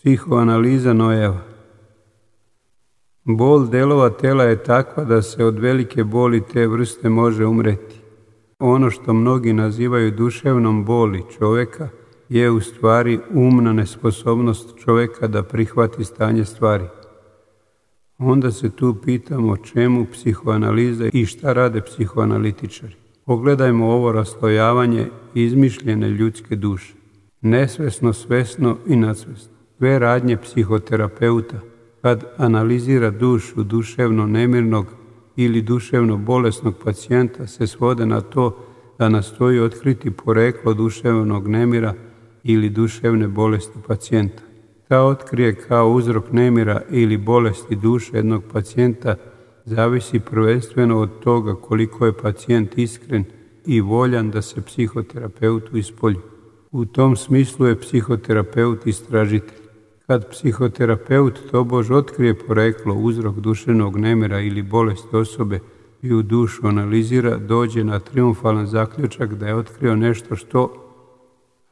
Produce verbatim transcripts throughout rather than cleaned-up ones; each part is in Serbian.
Psihoanaliza Nojeva. Bol delova tela je takva da se od velike boli te vrste može umreti. Ono što mnogi nazivaju duševnom boli čovjeka je u stvari umna nesposobnost čovjeka da prihvati stanje stvari. Onda se tu pitamo čemu psihoanaliza i šta rade psihoanalitičari. Pogledajmo ovo raslojavanje izmišljene ljudske duše. Nesvesno, svesno i nadsvesno. Sve radnje psihoterapeuta kad analizira dušu duševno nemirnog ili duševno bolesnog pacijenta se svode na to da nastoji otkriti poreklo duševnog nemira ili duševne bolesti pacijenta. Ta otkrije kao uzrok nemira ili bolesti duše jednog pacijenta zavisi prvenstveno od toga koliko je pacijent iskren i voljan da se psihoterapeutu ispolji. U tom smislu je psihoterapeut istražitelj. Kad psihoterapeut tobož otkrije poreklo, uzrok duševnog nemira ili bolesti osobe i u dušu analizira, dođe na triumfalan zaključak da je otkrio nešto što,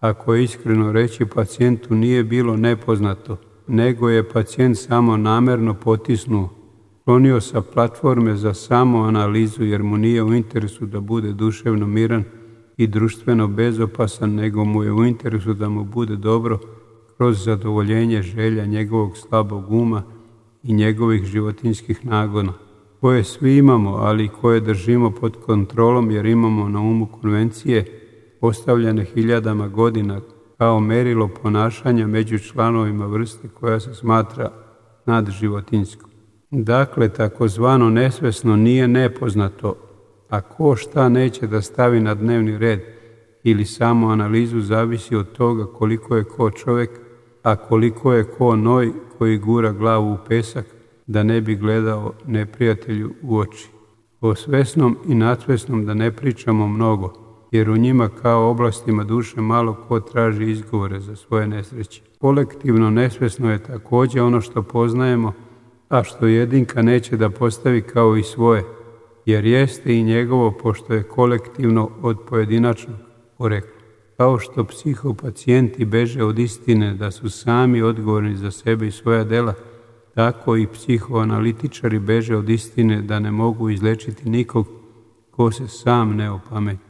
ako je iskreno reći, pacijentu nije bilo nepoznato, nego je pacijent samo namerno potisnuo, klonio sa platforme za samo analizu jer mu nije u interesu da bude duševno miran i društveno bezopasan, nego mu je u interesu da mu bude dobro kroz zadovoljenje želja njegovog slabog uma i njegovih životinjskih nagona, koje svi imamo, ali koje držimo pod kontrolom jer imamo na umu konvencije postavljene hiljadama godina kao merilo ponašanja među članovima vrste koja se smatra nadživotinjskom. Dakle, takozvano nesvesno nije nepoznato, a ko šta neće da stavi na dnevni red ili samo analizu zavisi od toga koliko je ko čovjek, a koliko je ko noj koji gura glavu u pesak da ne bi gledao neprijatelju u oči. O svesnom i nadsvesnom da ne pričamo mnogo, jer u njima kao oblastima duše malo ko traži izgovore za svoje nesreće. Kolektivno nesvesno je također ono što poznajemo, a što jedinka neće da postavi kao i svoje, jer jeste i njegovo pošto je kolektivno od pojedinačnog porekla. Kao što psihopacijenti beže od istine da su sami odgovorni za sebe i svoja dela, tako i psihoanalitičari beže od istine da ne mogu izlečiti nikog ko se sam ne opameti.